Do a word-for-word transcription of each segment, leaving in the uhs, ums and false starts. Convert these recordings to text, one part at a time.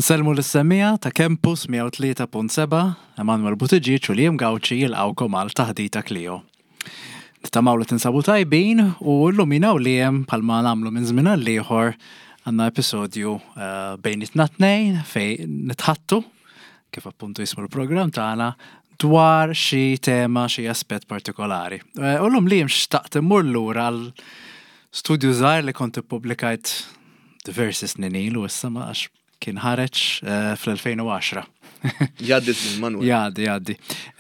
Nsellmu lis-semmiegħa ta' Campus mija u tlieta punt sebgħa, Emanuel Buttigieg u Liam Gauci jilqgħukom għal Taħdita Klio. Nittamaw li tinsabu tajbin u llum jiena u Liam, bħalma nagħmlu minn żmien għal ieħor, għandna episodju uh, bejnietna tnejn fejn nitħaddtu, kif appuntu jismu l-programm tagħna, dwar xi tema, xi aspett partikolari. Eh, U llum, Liam, xtaqt immur lura għal studju żgħir li kont ippubblikajt diversi snin ilu issa, ma għax kien ħareġ eh, fl-elfejn u għaxra. Jgħaddi żmien, Manuel. Jgħaddi, jgħaddi.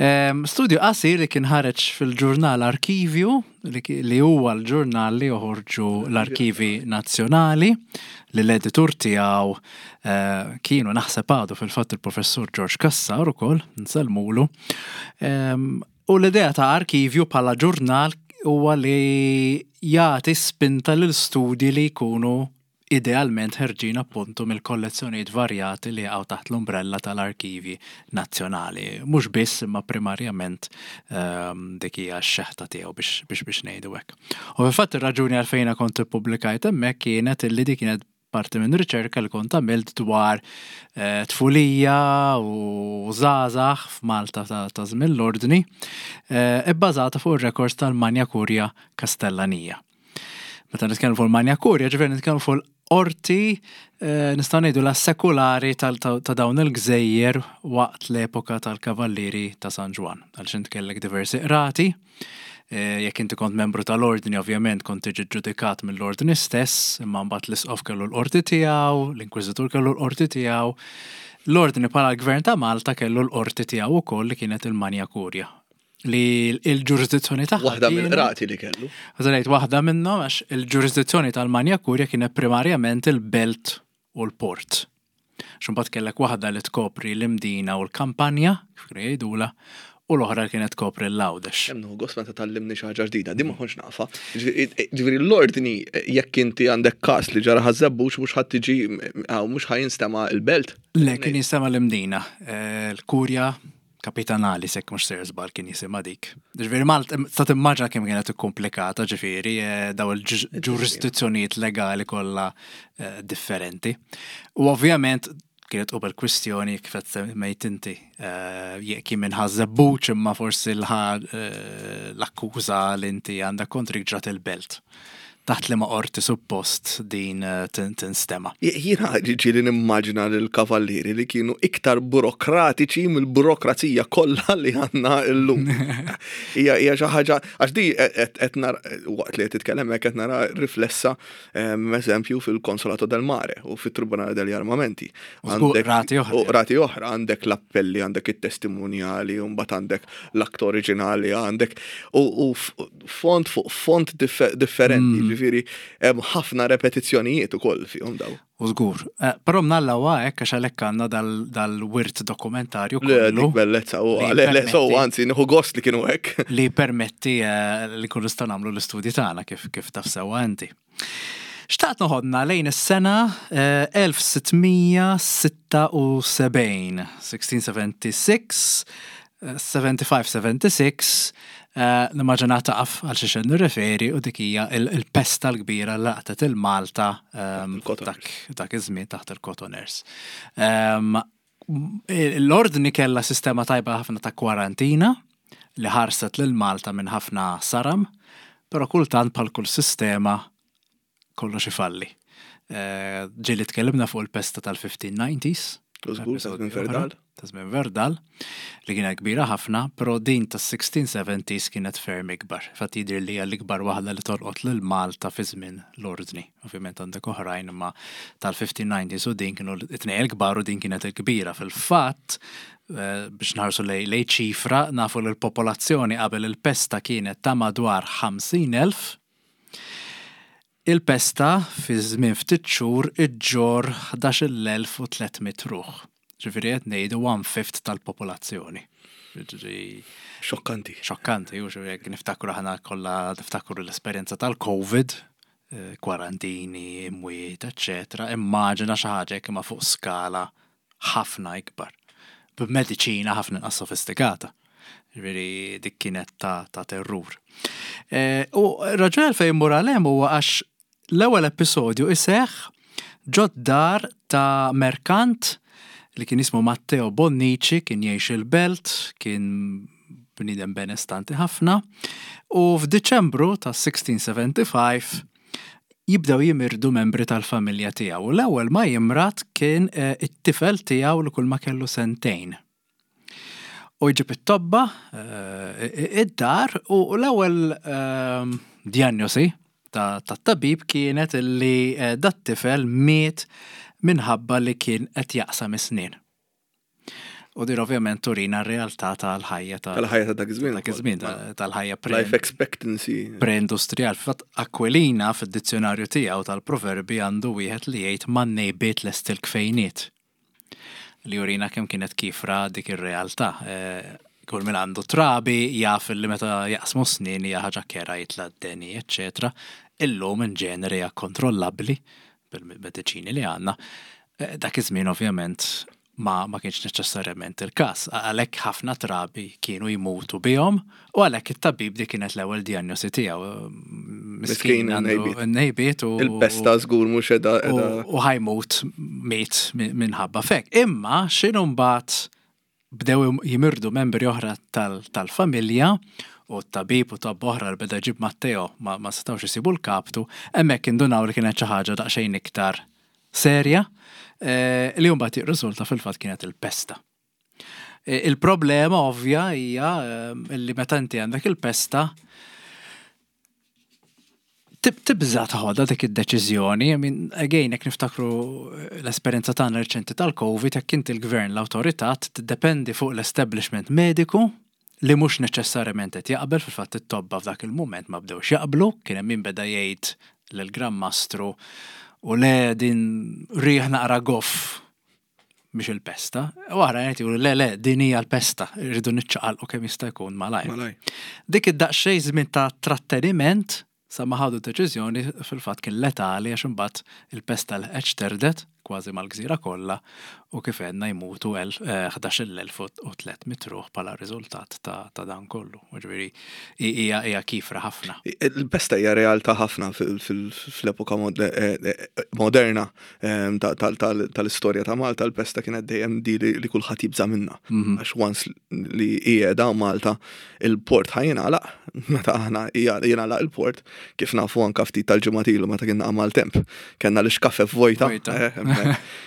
Em, Studju qasir li kien ħareġ fil-ġurnal Arkivju, li ki- li huwa l-ġurnal li joħorġu l-Arkivi Nazzjonali, li l-editur tiegħu eh, kienu, naħseb għadu fil-fatt, il-professur George Cassar ukoll, nsellmulu. Em, U l-idea ta' Arkivju bħala ġurnal huwa li jagħti spinta lil studji li jkunu idealment ħerġin appuntu mill-kollezzjonijiet varjati li jaqgħu taħt l-umbrella tal-Arkivi Nazzjonali. Mhux biss, imma primarjament um, dik hija x-xeħta tiegħu, biex biex biex ngħidu hekk. U fil-fatt ir-raġuni għalfejn kont ippubblikajt hemmhekk kienet illi dik kienet parti minn riċerka li kont għamilt dwar eh, tfulija u żgħażagħ f'Malta ta' ta' żmien l-ordni, eh, ibbażata fuq ir-records tal-Manja Kurja Kastellanija. Meta nitkellmu fuq il-Manja Kurja, ġifieri nitkellmu fuq l-qorti, eh, nistgħu ngħidu la sekulari tal- ta' ta' dawn il-gżejjer waqt l-epoka tal-Kavallieri ta' San Ġwann. Għaliex int kellek diversi qrati, eh, jekk inti kont membru tal-ordni, ovvjament kont tiġi ġudikat mill-ordni stess, imma mbagħad l-isqof kellu l-qorti tiegħu, l-inkwiżitur kellu l-qorti tiegħu, l-ordni bħala l-gvern ta' Malta kellu l-qorti tiegħu ukoll, li kienet il-Manja Kurja. Li l-ġurisdizzjoni tagħha Waħda kienet- mill-qrati li kellu. Għazalajt waħda minnhom, għax il-ġurisdizzjoni tal-Manja Kurja kienet primarjament il-belt u l-port. Xumbat kellek waħda li tkopri l-Imdina u l-Kampanja, kif kienu jgħidula, u l-oħra kienet tkopri l-Għawdex. Hemm nieħu gost meta tgħallimni xi ħaġa ġdida, din ma kontx nafha. Ġifieri ġifieri l-ordni, jekk inti għandek każ li ġara Ħaż-Żebbuġ, mhux ħadd tiġi, mhux ħa jinstema' il-belt. Le, kien jinstema' l-Imdina. Eh, L-Kurja Kapitanali, jekk mhux sejjer żball, kien jisimha dik. Ġifieri Malt, ta' timmaġina kemm kienet komplikata, ġifieri, eh, daw il-ġurisdizzjonijiet legali kollha eh, differenti. U ovvjament kienet qabel kwistjoni, kif qed semmejt inti, eh, jekk minn Ħaż-Żebbuġ, imma forsi l- eh, l-akkuża li inti għandek kontrik ġrat il-belt. Taħt li ma qorti suppost din eh, tin- tinstema. Jiena ġieli nimmaġina l-kavallieri li kienu iktar burokratiċi mill-burokrazija kollha li għandna llum. Hija hija xi ħaġa, għax di qed qed nara, waqt li qed titkellem hekk, qed nara riflessa, em, eżempju, fil-Consolato del Mare u fit-Tribunale degli Armamenti. U żgur qrati oħra. U qrati oħra, għandek l-appelli, għandek it-testimonjali, u mbagħad għandek l-akt oriġinali, għandek u, u f- font fuq font diffe- differenti, ġifieri hemm ħafna repetizzjonijiet ukoll fihom daw. U żgur. Eh, Però mnalla huwa hekk, għax għalhekk għandna dal- dal-wirt dokumentarju Le, kollu dik bellezza, u li le, le, so, permetti- anzi, nieħu gost li kienu hekk. Li permetti eh, li nkunu nistgħu nagħmlu l-istudji tagħna, kif kif taf sewwa inti. Xtaqt noħodna lejn is-sena eh, elf sitt mija sitta u sebgħin, sixteen seventy-six, eh, sebgħa u sebgħin sebgħa u sebgħin, eh, nimmaġina taf għal xiex nirreferi, u dik hija il- il-pesta l-kbira li laqtet il-Malta ehm, Il-Cotoners. dak dak iż-żmien taħt il-Cotoners. Ehm, L-ordni kella sistema tajba ħafna ta' kwarantina li ħarset lil Malta minn ħafna saram, però kultant, bħal kull sistema, kollox ifalli. Eh, Ġieli tkellimna fuq il-pesta tal-fifteen nineties. U żgur, ta' żmien Episodju oħra, Verdal. Ta' żmien Verdal, li kienet kbira ħafna, però din tas-sixteen seventies kienet ferm ikbar. Fatt jidher li hija l-ikbar waħda li tolqot lil Malta fi żmien l-ordni. Ovvjament għandek oħrajn, imma tal-fifteen nineties u din kienu it-tnejn il-kbar u din kienet il-kbira. Fil-fatt, eh, biex nħarsu lej lej ċifra, nafu li l-popolazzjoni qabel il-pesta kienet ta' madwar ħamsin elf. Il-pesta fi żmien ftit xhur iġġor ħdax-il elf u tliet mitt ruħ. Ġifieri qed ngħidu one fifth tal-popolazzjoni. Ġifieri Xokkanti. xokkanti, u ġifieri jekk niftakru, aħna kollha niftakru l-esperjenza tal-Covid, eh, kwarantini, imwiet, eċċetera. Immaġina xi ħaġa hekk imma fuq skala ħafna ikbar. B'mediċina ħafna inqas sofistikata. Ġifieri dik kienet ta', ta terrur. Eh, U raġuni għalfejn immur għal hemm huwa għax l-ewwel episodju iseħħ ġod dar ta' merkant. li kien jismu Matteo Bonnici, kien jgħix il-Belt, kien bniedem benestanti ħafna, u f'Diċembru ta' sittax sebgħa ħamsa jibdew jimirdu membri tal-familja tiegħu. U l-ewwel ma jimrad kien eh, it-tifel tiegħu li kull ma kellu sentejn. U jġib it-tobba eh, id-dar u l-ewwel ehm, diagnosi ta' tat-tabib kienet li eh, dat-tifel miet minħabba li kien qed jaqsam is-snien. U din ovvjament turina r-realtà tal-ħajja ta' Tal-ħajja ta' dak iż-żmien. Dak iż-żmien, ta- tal-ħajja pre Life expectancy. Pre-industrial. Fatt Aquilina fid-dizzjonarju tiegħu tal-proverbi għandu wieħed li jgħid "man-nejbiet lest il-kfejniet". Li jurina kemm kienet kifra dik ir-realtà. Eh, Kull min għandu trabi jaf li meta jaqsmu snin hija ħaġa kerha, jitla' d-deni, eċċetera. Illum in ġeneri hija kontrollabbli bil-mediċini li għandna. Eh, Dak iż-żmien ovvjament ma, ma kienx neċessarjament il-każ. Għalhekk ħafna trabi kienu jmutu bihom u għalhekk it-tabib dik kienet l-ewwel diagnosi tiegħu. Miskin għandu in-nejbiet. n-nejbiet u Il-pesta żgur mhux edha u edha. u ħa jmut, miet minħabba f'hekk. Imma x'inhu mbagħad bdew jimirdu membri oħra tal- tal-familja u t-tabib u tab oħra li beda jġib Matteo ma, ma setawx isibu l-kaptu, hemmhekk indunaw li kienet xi ħaġa daqsxejn iktar serja eh, li mbagħad jirriżulta fil-fatt kienet il-pesta. Eh, Il-problema ovvja hija eh, li meta inti għandek il-pesta tib- tibża taħodha dik id-deċiżjoni. I mean, again, jekk niftakru l-esperjenza tagħna reċenti tal-Covid, jekk inti l-gvern, l-awtorità, tiddependi fuq l-establishment mediku li mhux neċessarjament qed jaqbel. Fil-fatt it-tobba f'dak il-mument ma bdewx jaqblu, kien hemm min beda jgħid lill-Gran Mastru u le, din riħ naqra goff biex il-pesta. U oħra jgħid le, le, din hija l-pesta, irridu niċċaqalqu kemm jista' jkun malajr. Malaj. Dik id-daqsxejn żmien ta' tratteniment sa ma ħadu deċiżjoni fil-fatt kien letali, għax imbagħad il-pesta l terdet kważi mal-gżira kollha u kif għedna jmutu ħdax-il elf u tliet mitt ruħ bħala riżultat ta' ta' dan kollu. Ġifieri hija hija kifra ħafna. Il-pesta hija realtà ħafna fil- fil- fl-epoka mod- eh, eh, moderna em, ta- tal- tal- tal-istorja ta' Malta, il-pesta kienet dejjem di li li kulħadd jibża' minnha. Għax once li hija da Malta, il-port ħa jingħalaq, meta aħna hija jingħalaq il-port, kif nafu anka ftit tal-ġimgħat ilu meta kien għamal temp, kellna l-ixkafef vojta. Vojta. eh, hemmhekk.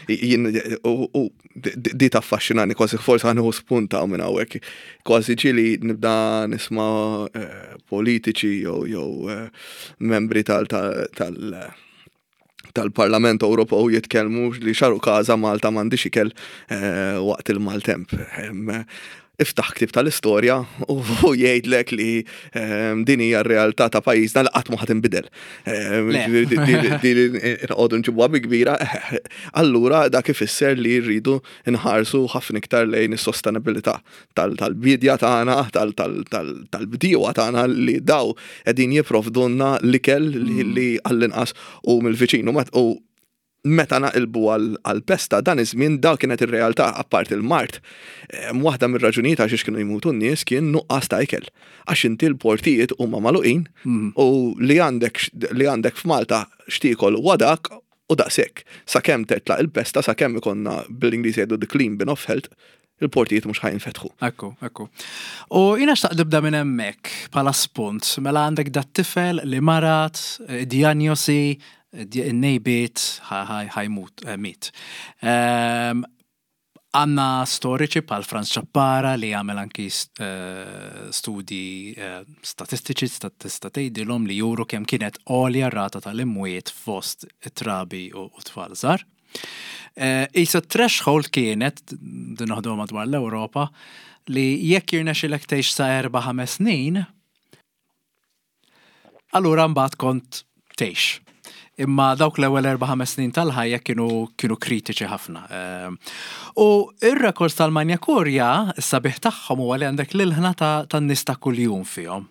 Jien- U u di di taffaxxinani kważi, forsi ħa nieħu spunta minn hawnhekk. Kważi ġieli nibda nisma' eh, politiċi jew jew eh, membri tal tal tal tal-Parlament Ewropew jitkellmu li x'għarukaża Malta m'għandix ikel eh, waqt il-maltemp. Em, Iftaħ ktib tal-istorja u u jgħidlek li em, din hija r-realtà ta' pajjiżna li qatt ma ħa tinbidel. Em, Le. ġifieri di- di- di li nqogħdu nġibuha bi kbira, eh, allura dak ifisser li rridu nħarsu ħafna iktar lejn is-sostenibilità tal- tal-bidja tagħna, tal- tal- tal- tal-bdiewa tagħna li daw qegħdin jipprovdulna l-ikel li li għall-inqas u mill-viċin. U met- U meta naqilbu għal-pesta dan iż-żmien da kienet ir-realtà apart il-mard. Em, Waħda mir-raġunijiet għax kienu jmutu n-nies kien nuqqas ta' ikel. Għax inti l-portijiet huma magħluqin u li għandek li għandek f'Malta x'tiekol wadak u daqshekk. Sakemm tetlaq il-pesta, sakemm ikonna, bil-Ingliż jgħidu, the clean bin of health, il-portijiet mhux ħa jinfetħu. Ekku, ekku. U jiena xtaqt nibda minn hemmhekk bħala spunt, mela għandek dat tifel li marad, eh, diagnosi, in-nejbiet ħa jmut, eh, miet. Ehm, Għanna storiċi bħal Franz Ciappara li għamel anki eh, studi eh, statistiċi, sta- tista' tgħidilhom, li juru kemm kienet għolja rata tal-imwiet fost it-trabi u u tfal żgħar. Eh, Isa threshold kienet, din noħdu madwar l-Ewropa, li jekk jirnexxilek tgħix sa erba' ħames snin, allura mbagħad kont tgħix. Imma dawk l-ewwel erba' ħames snin tal-ħajja kienu kienu kritiċi ħafna. Ehm, U ir-records tal-Magna Curia, is-sabiħ tagħhom huwa li għandek l-ilħna ta' tan-nies ta' kuljum fihom.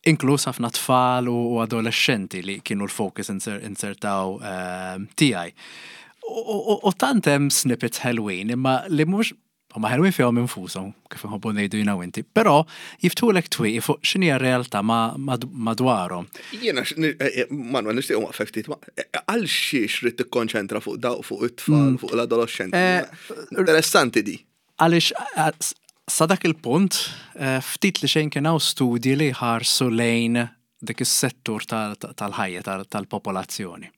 Inkluż ħafna tfal u u adolescenti li kienu l-focus inser, insertaw ehm, tiegħi. U- U u tant hemm snippets ħelwin, imma li mhux Huma ħelwin fihom infushom, kif nħobbu ngħidu jiena u inti, però jiftħulek twieqi fuq x'inhi r-realtà madwarhom. Jiena, eh, eh, Manuel, nixtieq waqfek ftit, eh, għal xiex trid tikkonċentra fuq daw fuq it-tfal, mm. fuq l-adolescenti. Interessanti di. Għaliex sa dak il-punt, ftit li xejn kien hawn studji li ħarsu lejn dik is-settur tal-ħajja tal-popolazzjoni.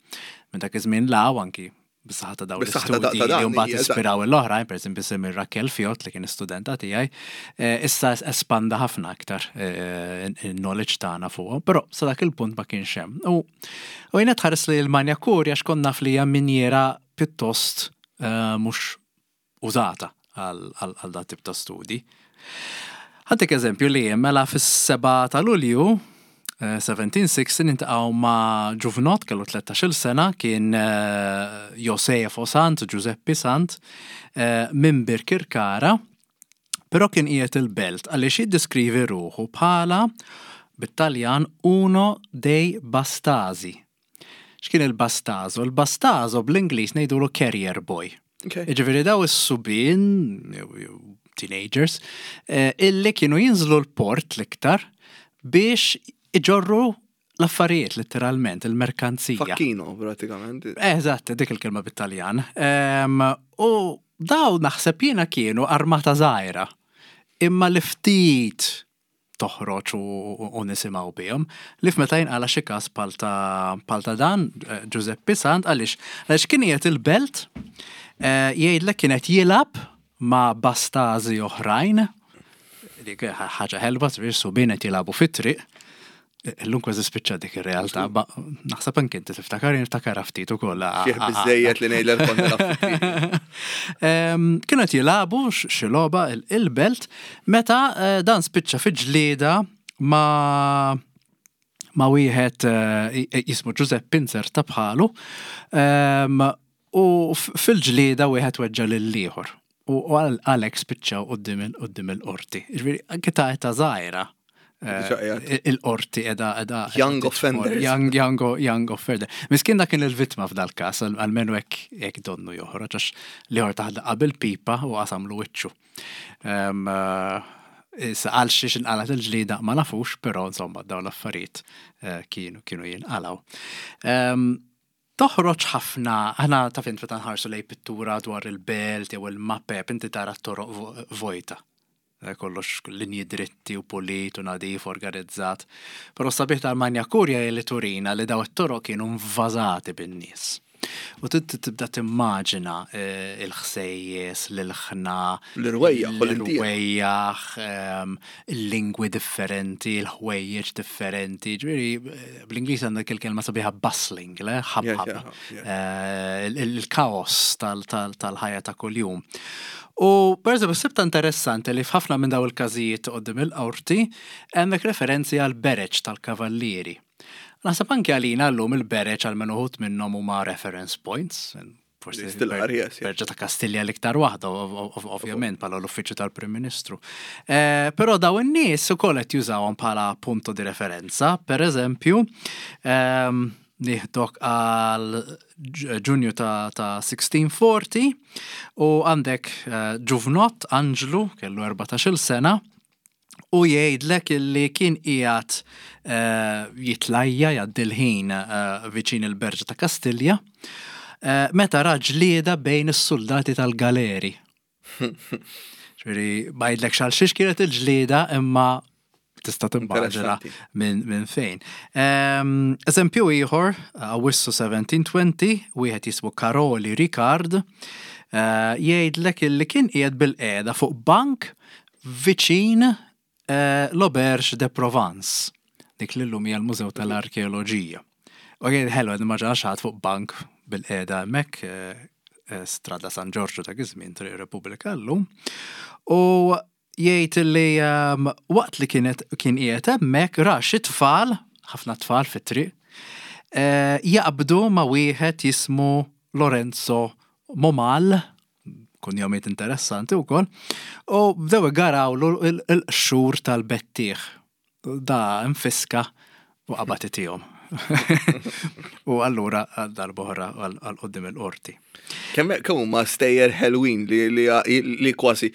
Minn dak iż-żmien 'l hawn anki bis-saħħa ta' dawn l-istudji li mbagħad ispiraw l-oħrajn, pereżempju semmi Raquel Fiot li kien studenta tiegħi, eh, issa espanda ħafna aktar eh, il-knowledge tagħna fuqhom, però sa dak il-punt ma kienx hemm. U u jiena tħares li l-Magna Curia għax konna naf li hija minjera pjuttost eh, mhux użata għal dat tip ta' studi. Ħa ntik eżempju li mela fis-seba ta' Lulju elf seba' mija u sittax niltaqgħu ma' ġuvnot kellu tlettax-il sena, kien eh, Josefo Sant, Giuseppe Sant, eh, minn Birkirkara, però kien qiegħed il-belt għaliex jiddeskrivi ruħu bħala bit-Taljan uno dei bastasi. X'kien il-bastazo? Il-bastazo bl-Ingliż ngħidulu carrier boy. Ġifieri daw is-subien, teenagers, eh, illi kienu jinżlu l-port l-iktar biex iġorru l-affarijiet letteralment, il-merkanzija. Facchino, pratikament. Eżatt, dik il-kelma bit-Taljan. U daw naħseb jiena kienu armata żgħira. Imma li ftit toħroġ u nisimgħu bihom. Li f'meta jinqala xi każ bħal ta' dan, eh, Giuseppe Sant, għaliex għaliex kien qiegħed il-belt eh, jgħidlek kienet jilgħab ma' bastazi oħrajn, ħaġa ħelwa, subien qed jilagħbu fit-triq. Illum kważi spiċċa dik ir-realtà, naħseb anke inti tiftakar, niftakar ftit ukoll. Fih biżejjed li ngħidlek kont. Kienu qed jilagħbu xi logħba il-belt meta eh, dan spiċċa fi ġlieda ma' ma' wieħed eh, jismu Giuseppe Inzerta bħalu u fil-ġlieda wieħed weġġa' lill-ieħor. U għalhekk spiċċaw quddiem il-qorti. Ġifieri anke ta' età żgħira Eh, il-qorti edha edha. Young offenders. Young, young, young offender. Miskin dak kien il-vittma f'dal kas, għalmenu hekk donnu joħroġ, għax l-ieħor tah qabel pipa u qasamlu wiċċu. Eh, issa għal xiex inqalat il-ġlida ma nafux, però insomma dawn l-affarijiet eh, kienu kienu jinqalaw. Toħroġ ħafna, aħna taf int meta nħarsu lej pittura dwar il-belt jew il-mapep, inti tara t-toroq vojta. Eh, kollox linji dritti u pulit u nadif organizzat. Però sabiħ tal-Magna Curia li turina li daw it-toroq kienu invażati bin-nies. U tibda timmaġina eh, il-ħsejjes, l-ilħna, l-irwejjaħ, l-irwejjaħ, ehm, il-lingwi differenti, il-ħwejjeġ differenti. Ġifieri, eh, bl-Ingliż għandek il-kelma sabiħa bustling, le? Ħabħab. Il-kaos tal-ħajja ta' kuljum. U per eżempju, sibta interessanti li f'ħafna minn daw il-każijiet quddiem il-qorti hemmhekk referenzi għal bereġ tal-kavallieri. Naħseb anke għalina llum il-bereġ għal uħud minnhom huma reference points. Forsi Berġa ta' Kastilja l-iktar waħda, ovvjament, bħala l-uffiċċju tal-Prim Ministru. Eh, però daw in-nies ukoll qed jużawhom bħala punto di referenza. Per eżempju, ehm, nieħdok għal Ġunju ta', ta' elf sitt mija u erbgħin u għandek uh, ġuvnot Anġlu kellu erbatax-il sena u jgħidlek illi kien qiegħed uh, jitlajja jgħaddi l-ħin uh, viċin il-Berġa ta' Kastilja uh, meta ra ġlieda bejn is-soldati tal-galeri. Ġifieri, ma jgħidlek għal xiex kienet il-ġlieda, imma tista' timmaġina minn min fejn. Um, eżempju ieħor, Awwissu elf seba' mija u għoxrin, wieħed jismu Karoli Ricard, uh, jgħidlek illi kien qiegħed bil-qiegħda fuq bank viċin uh, l-Auberge de Provence, dik li llum hija l-Mużew tal-Arkeoloġija. U jgħid ħelu, immaġina xi ħadd fuq bank bil-qiegħda hemmhekk, uh, Strada San Giorgio ta' żmien Triq Repubblika llum. U jgħid li um, waqt li kienet kien qiegħed hemmhekk ra xi tfal, ħafna tfal fit-triq, uh, jaqbdu ma' wieħed jismu Lorenzo Momal, kunjomiet interessanti wkoll, u bdew igarawlu il-qxur tal-bettieħ. Da infiska u qabad itihom. U allura għal darb'oħra għal quddiem il-qorti. Kemm kemm huma stejjer ħelwin li li li kważi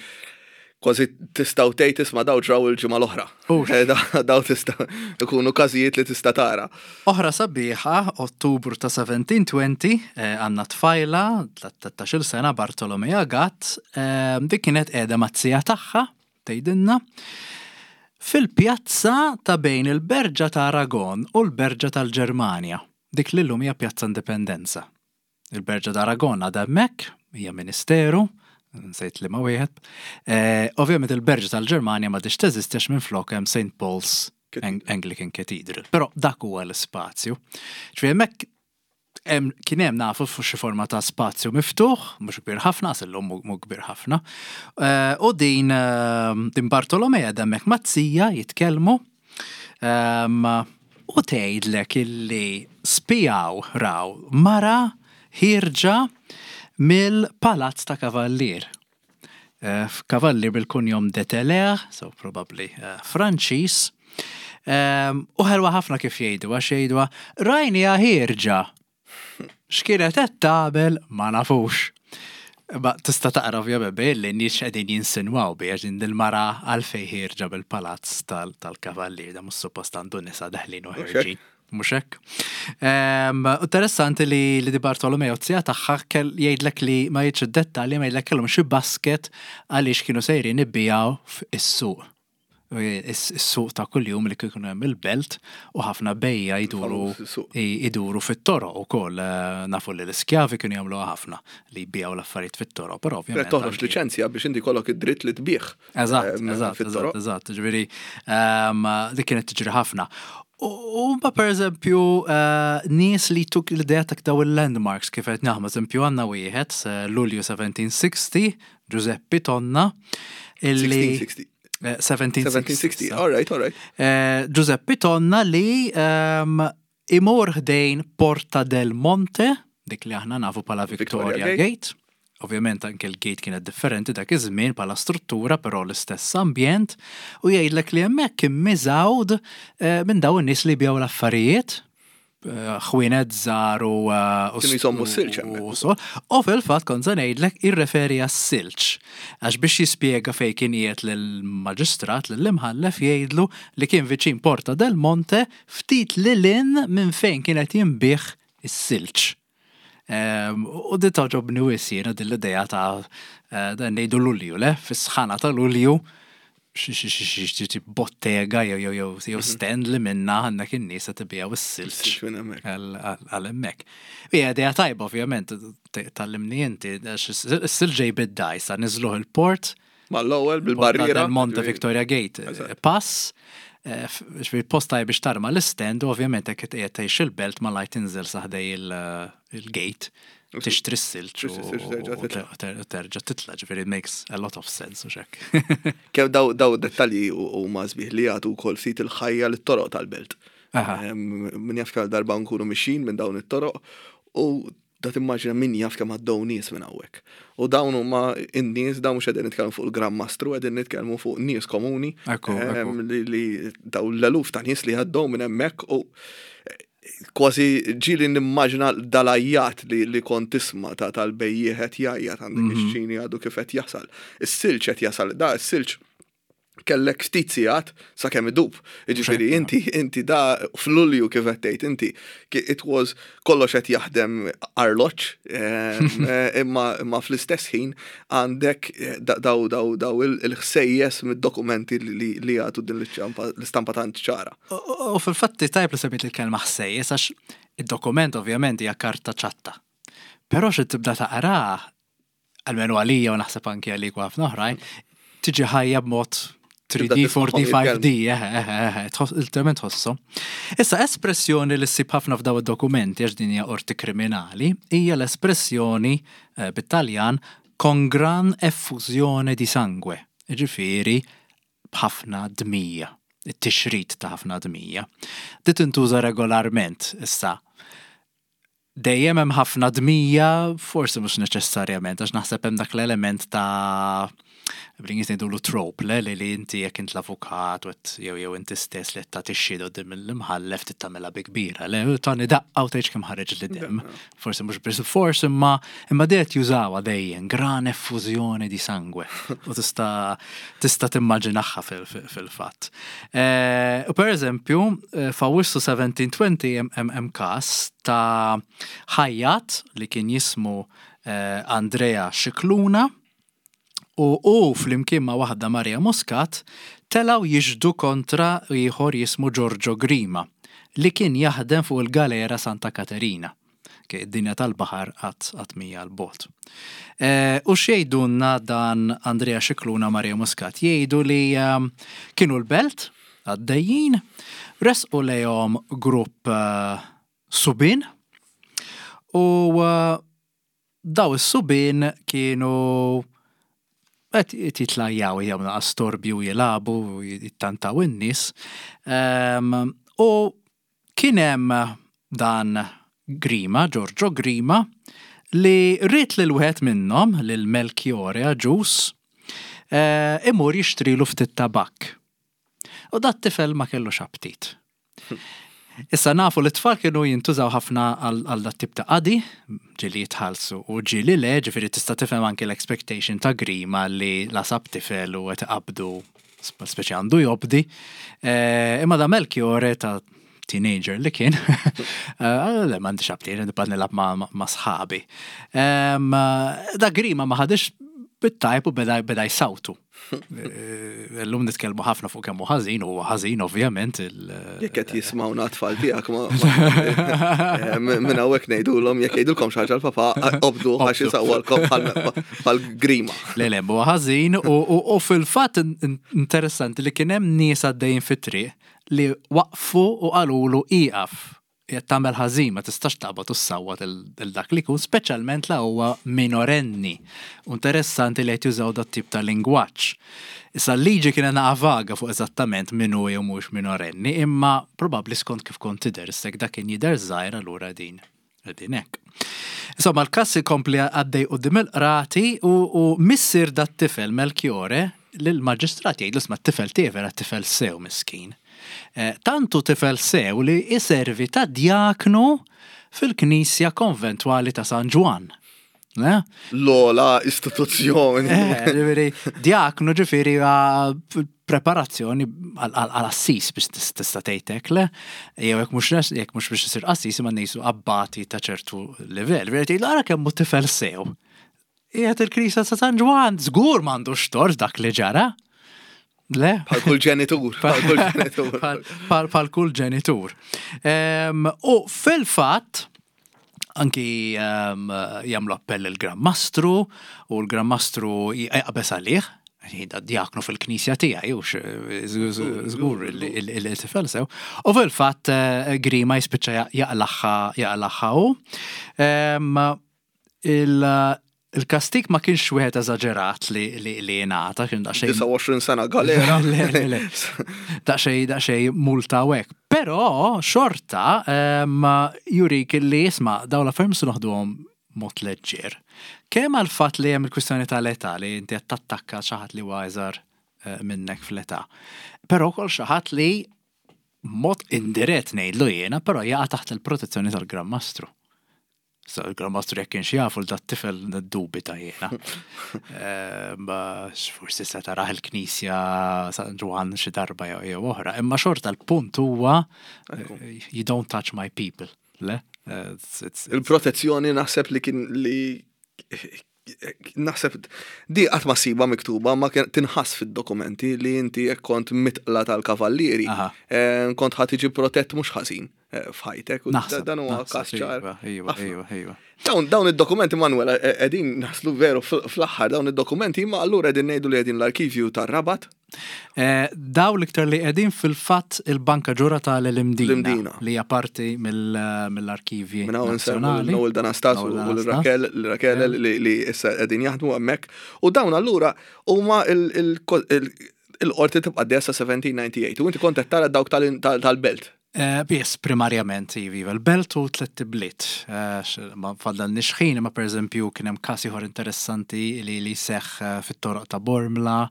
kważi tistgħu tgħid, "Isma', daw ġraw il-ġimgħa l-oħra." Hux. Eh, da- Daw tista' ikunu każijiet li tista' tara. Oħra sabiħa, Ottubru ta' seventeen twenty, eh, għandna tfajla, tlettax-il sena, Bartolomea Gatt, eh, dik kienet qiegħda maz-zija tagħha, tgħidilna, fil-pjazza ta' bejn il-Berġa ta' Aragon u l-Berġa tal-Ġermanja. Dik li llum hija Pjazza Indipendenza. Il-Berġa ta' Aragon għadha hemmhekk, hija ministeru, nsejt li ma wieħed. Eh, Ovvjament il-Berġa tal-Ġermanja ma diċ teżistix, minn flok hemm Saint Paul's Cathedral. Ang- Anglican Cathedral. Però dak huwa l-ispazju. Ġifieri hemmhekk hemm- kien hemm, nafu, fuq xi forma ta' spazju miftuħ, mhux kbir ħafna, għax illum mhu mhu kbir ħafna. Eh, U din eh, din Bartolomea hemmhekk maz-zija jitkellmu. Ehm, U tgħidlek illi spijaw raw mara ħierġa mill-Palazz ta' Kavallier. Eh, Kavallier bil-kunjom de Teller, so probably uh, Franċis. Um, u ħelwa ħafna kif jgħidu, għax jgħidu rajnieha ħierġa. X'kienet qed tagħmel ma nafux. Ma tista' taqra ovvjament bejn li nies qegħdin jinsinwaw bi għax din il-mara għalfejn ħierġa bil-palazz tal- tal-kavallier, da mhux suppost għandu nisa deħlin u ħerġin. Mhux hekk. Ehm, Interessanti li li di Bartolomeo zija tagħha kell jgħidlek li, ma jgħidx id-dettalji, ma jgħidlek kellhom xi basket għaliex kienu sejrin ibbijaw fis-suq. Is-suq ta' kuljum li kienu hemm il-belt u ħafna bejja jduru Il-famuż suq. i- iduru fit-toroq ukoll, eh, nafu li l-iskjavi kienu jagħmluha ħafna li jbijaw l-affarijiet fit-toroq, però ovvjament Toħroġ anki- liċenzja biex inti kollok id-dritt li tbieħ. Eżatt, ehm, eżatt, fit-toroq. eżatt, eżatt, ġifieri, ehm, dik kienet tiġri ħafna. U u ma per eżempju, eh, nies li tuk l-idea ta' daw il-landmarks kif qed naħmu, eżempju għandna wieħed, eh, Lulju seventeen sixty, Giuseppe Tonna, illi sixteen sixty. Eh, seventeen sixty. seventeen sixty, all right, all right. Eh, Giuseppe Tonna li ehm, imur ħdejn Porta del Monte, dik li aħna nafu bħala Victoria, Victoria Gate. Gate. Ovvjament anke l-gate kienet differenti dak iż-żmien bħala struttura, però l-istess ambjent, u jgħidlek li hemmhekk kien miżgħud eh, minn dawn in-nies li biegħu l-affarijiet, eh, ħwienet żgħar u eh, u Kienu jżommu s-silġ hemmhekk. u so. U fil-fatt kont se ngħidlek, irreferi għas-silġ. Għax biex jispjega fejn kien qiegħed lill-maġistrat, lill-imħallef, jgħidlu li kien viċin Porta del Monte, ftit lil hinn minn fejn kienet jinbiegħ is-silġ. Ehm, U di togħġobni wisq jiena din l-idea ta' eh, dan ngħidu Lulju, le? Fis-sħana ta' Lulju, xi xi xi xi xi bottega jew jew jew jew stand li minna għandek in-nies qed ibigħu is-silġ Is-silġ minn hemmhekk. għal hemmhekk. Hija idea tajba ovvjament, tgħallimni inti, għax is-silġ ġej bid-dgħajsa, niżluh il-port, Mal-ewwel Porta bil-barriera. del Monte Victoria Gate, Eżatt. pass, eh, f- ġifieri post tajb biex tarma l-stand u ovvjament hekk qed tgħix il-belt ma lajt tinżel sa ħdej il- il-gate, tixtri s-silġ Tixtri s-silġ, terġa' u titla'. ter- terġa' titla', ġifieri it makes a lot of sense u xek. Kemm daw daw dettalji u u ma sbieħ li jagħtu wkoll ftit il-ħajja lit-toroq tal-belt. Aha. Em, Min jaf kemm darba nkunu mixin minn dawn it-toroq u da timmaġina min jaf kemm għaddew nies minn hawnhekk. U dawn huma in-nies, dawn mhux qegħdin nitkellmu fuq il-Gran Mastru, qegħdin nitkellmu fuq nies komuni. Ekku, em, ekku. li, li daw l-eluf ta' nies li għaddew minn hemmhekk u kważi ġieli nimmaġina dal-għajjat li, li kont tisma' ta' tal-bejjiegħ jgħajjat, għandek Mhm. ix-ċini għadu kif qed jasal. Is-silġ qed jasal, da is-silġ kellek ftit sigħat sakemm idub. Jiġifieri inti inti da f'Lulju kif qed tgħid inti, ki- it was kollox qed jaħdem arloġġ, em, eh, imma imma fl-istess ħin għandek eh, da- daw daw daw il- il-ħsejjes mid-dokumenti li li- li jagħtu din l-iċċampa- l-istampa tant ċara. U u fil-fatti tajb li semmit il-kelma ħsejjes, għax id-dokument ovvjament hija karta ċatta. Però xi tibda taqra, almenu għalija u naħseb anki għalik u ħafna oħrajn, tiġi ħajja b'mod three D, Tibda four D, tismagħhom five D, eh, eh, eh, tħoss- literalment tħossu. Issa, espressjoni li ssib ħafna f'daw id-dokumenti, għax din hija qorti kriminali, hija l-espressjoni eh, bit-Taljan "con gran effusione di sangue", ġifieri b'ħafna dmija, it-tixrid ta' ħafna dmija. Di tintuża regolarment issa. Dejjem hemm ħafna dmija, forsi mhux neċessarjament, għax naħseb hemm dak l-element ta' bl-Ingliż ngħidulu trope, le li li inti jekk int l-avukat u qed- jew jew inti stess li qed tagħti xhieda quddiem l-imħallef tagħmilha bi kbira, le tani daqqa u tgħidx kemm ħareġ li dem. Forsi mhux bil-fors imma imma dejjem jużawha dejjem gran effusione di sangue. U tista' tista' timmaġinaha fil- fil- fil-fatt. Eh, U per eżempju, eh, f'Awwissu seventeen twenty hemm- hemm hemm każ ta' ħajjat li kien jismu eh, Andrea Scicluna u u flimkien ma' waħda Maria Muscat telaw jixhdu kontra ieħor jismu Giorgio Grima li kien jaħdem fuq il-galera Santa Caterina. Ke id-dinja tal-baħar qatt qatt mija l-bot. Eh, U x'jgħidulna dan Andrea Scicluna, Maria Muscat? Jgħidu li um, kienu l-Belt għaddejjin, resqu lejhom grupp uh, subien u uh, daw is-subien kienu qed jitlajjaw, jagħmlu storbju, jilagħbu, jittantaw in-nies. Em, U kien hemm dan Grima, Giorgio Grima, li ried lil wieħed minnhom, lil Melchiore Agius, eh, imur jixtrilu ftit tabak. U dat tifel ma kellux aptit. Issa nafu li t-tfal kienu jintużaw ħafna għal għal dat tip ta' qadi, ġieli jitħallsu u ġieli le, ġifieri tista' tifhem anke l-expectation ta' Grima li la sab tifel u qed iqabdu, speċi għandu jobdi. Eh, Imma da Melchiore ta' teenager li kien, eh, le m'għandix aptit, nibqa' nilgħab ma' ma' ma' sħabi. Em, Da Grima ma ħadix bit-tajb u beda beda jsawtu. Eh, Illum nitkellmu ħafna fuq kemm hu ħażin, u ħażin ovvjament. il- Jekk qed jismawna tfal tiegħek ma ma- eh, minn hawnhekk ngħidulhom jekk jgħidulkom xi ħaġa l-papa, obdu għax isawwalkom bħal Grima. Le, le, huwa ħażin u, u, u fil-fatt in- in- interessanti li kien hemm nies għaddejjin fit-triq li waqfu u qalulu ieqaf, qed tagħmel ħażin, ma tistax taqbad u ssawwat il dak li jkun, speċjalment la huwa minorenni. U interessanti li qed jużaw dat tip ta' lingwaġġ. Issa l-liġi kienet naqa vaga fuq eżattament min hu jew mhux minorenni, imma probabbli skont kif kont tidher, issek dak kien jidher żgħir, allura din din hekk. Insomma, l-każ ikompli għaddej quddiem il-qrati u, u missier dat tifel Melchiore lill-maġistrat jgħidlu, "Isma', t-tifel tiegħi vera tifel sew, miskin. Eh, Tantu tifel sew li iservi ta' djaknu fil-knisja konventwali ta' San Ġwann." Le? L-ogħla istituzzjoni. Eh, ġifieri, djaknu ġifieri għal preparazzjoni għal-assis biex tis- tista' tgħidlek, le? Jew jekk mhux jekk mhux biex isir qassis, imma nisu abbati ta' ċertu livell. Veri tgħidlu, "Ara kemm hu tifel sew. Qiegħed il-Knisja ta' San Ġwann, żgur m'għandux tort dak li ġara." Le? Bħal kull ġenitur. Bħal kull ġenitur. Bħal bħal kull ġenitur. Em, U fil-fatt, anki um, jagħmlu appell il-Gran Mastru u l-Gran Mastru jaqbeż għalih, jgħid, "Djaknu fil-knisja tiegħi, u żgur il-tifel sew." U fil-fatt eh, Grima jispiċċa jaqlagħha jaqlagħha u Em, il- Il-kastik ma kienx wieħed eżaġerat li li li jingħata, kien daqsxejn disgħa u għoxrin sena galera. Le, le, le. Daqsxejn daqsxejn multa u hekk. Però xorta em, jurik li isma' dawn l-affarijiet se noħduhom mod leġġer. Kemm għal fatt li hemm il-kwistjoni tal-età, li inti qed tattakka xi ħadd li huwa iżgħar eh, minnek fl-età. Però wkoll xi ħadd li mod indirett ngħidlu jiena, però jaqa' taħt il-protezzjoni tal-Gran Mastru. So, il-Gran Mastru jekk kienx jafu l dat-tifel niddubita jiena. Eh, Ma forsi se taraħ il-Knisja San Ġwann xi darba jew jew oħra. Imma xorta l-punt huwa eh, you don't touch my people. Le? Eh, it's- it's- Il-protezzjoni naħseb li kien li naħseb di qatt ma siba miktuba ma kien tinħass fid-dokumenti li inti jekk kont mitqla tal-kavallieri Aha. eh, kont ħa tiġi protett mhux ħażin eh, f'ħajtek u Naħseb. dan huwa naħseb, każ ċar. Iva, iva, Ħafna. iva, iva. Dawn dawn id-dokumenti, Manuel, qegħdin naslu veru fl- fl-aħħar dawn id-dokumenti, ma allura qegħdin ngħidu li qegħdin l-arkivju tar-Rabat. Eh, Daw l-iktar li qegħdin fil-fatt il-Banka Ġura tal-Imdina. L-Imdina. Li hija parti mill- mill-arkivji Minn hawn insemmu nazzjonali. Noel D'Anastasio Noel u D'Anastasio. l-Raquel l-Raquel li li issa qegħdin jaħdmu hemmhekk. U dawn allura huma il- il- il- il-qorti tibqa' desa seventeen ninety-eight u inti kont qed tara dawk tal- tal- tal-Belt. Eh, Biss, primarjament, iva, l-belt u tlett ibliet. Eh, ma fadal xħin, ma per eżempju kien hemm każ ieħor interessanti li li seħ eh, fit-toroq ta' Bormla,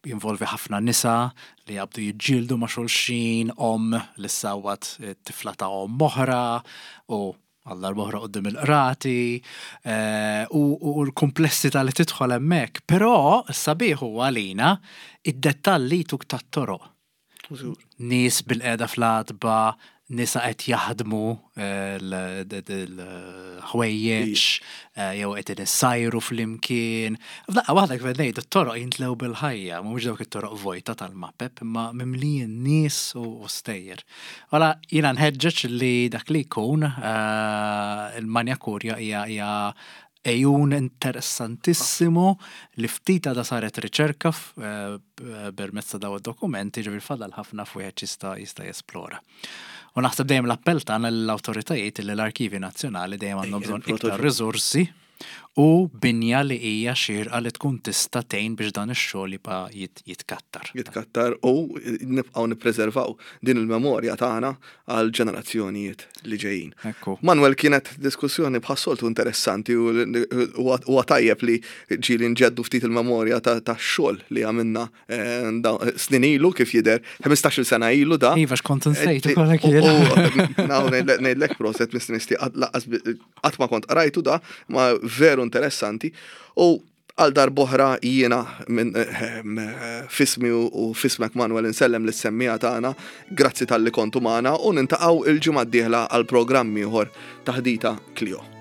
jinvolvi ħafna nisa li jabdu jiġġieldu ma' xulxin, om li sawat tifla ta' om oħra, u għal darb'oħra quddiem il-qrati, u, u l-komplessità li tidħol hemmhekk. Però s-sabiħ huwa għalina id-dettalli tuk tat-toroq. Nies bilqiegħda fl-għatba, nisa qed jaħdmu l-ħwejjeġ, jew qed issajru flimkien. F'daqqa waħda kif qed ngħid, it-toroq jintlew bil-ħajja, mhumiex dawk it-toroq vojta tal-mapep, imma mimlijin nies u stejjer. Wala jiena nħeġġeġ li dak li jkun il-Magna Curia hija hija għejun interessantissimu li ftit għadha saret riċerka permezz ta' daw id-dokumenti, ġifieri fadal ħafna f'wieħed jista' jista' jesplora. U naħseb dejjem l-appell tagħna lill-awtoritajiet li l-Arkivi Nazzjonali dejjem għandhom bżonn iktar riżorsi u binja li hija xierqa li tkun tista' tgħin biex dan ix-xogħol jibqa' jitkattar. Jitkattar u nibqgħu nippreservaw din il-memorja tagħna għal ġenerazzjonijiet li ġejjin. Ekku. Manuel, kienet diskussjoni bħas-soltu interessanti u huwa tajjeb li ġieli nġeddu ftit il-memorja ta' xogħol li għamilna snin ilu, kif jidher ħmistax-il sena ilu da. Iva, x'kont insejt ukoll hekk jien. Ngħidlek proset mistienisti, qatt ma kont qrajtu da, ma veru interessanti. U għal darb'oħra jiena minn fismi u fismek, Manuel, insellem lis-semmiegħa tagħna, grazzi talli kontu magħna u niltaqgħu il-ġimgħa d-dieħla għal programm ieħor Taħdita Klio.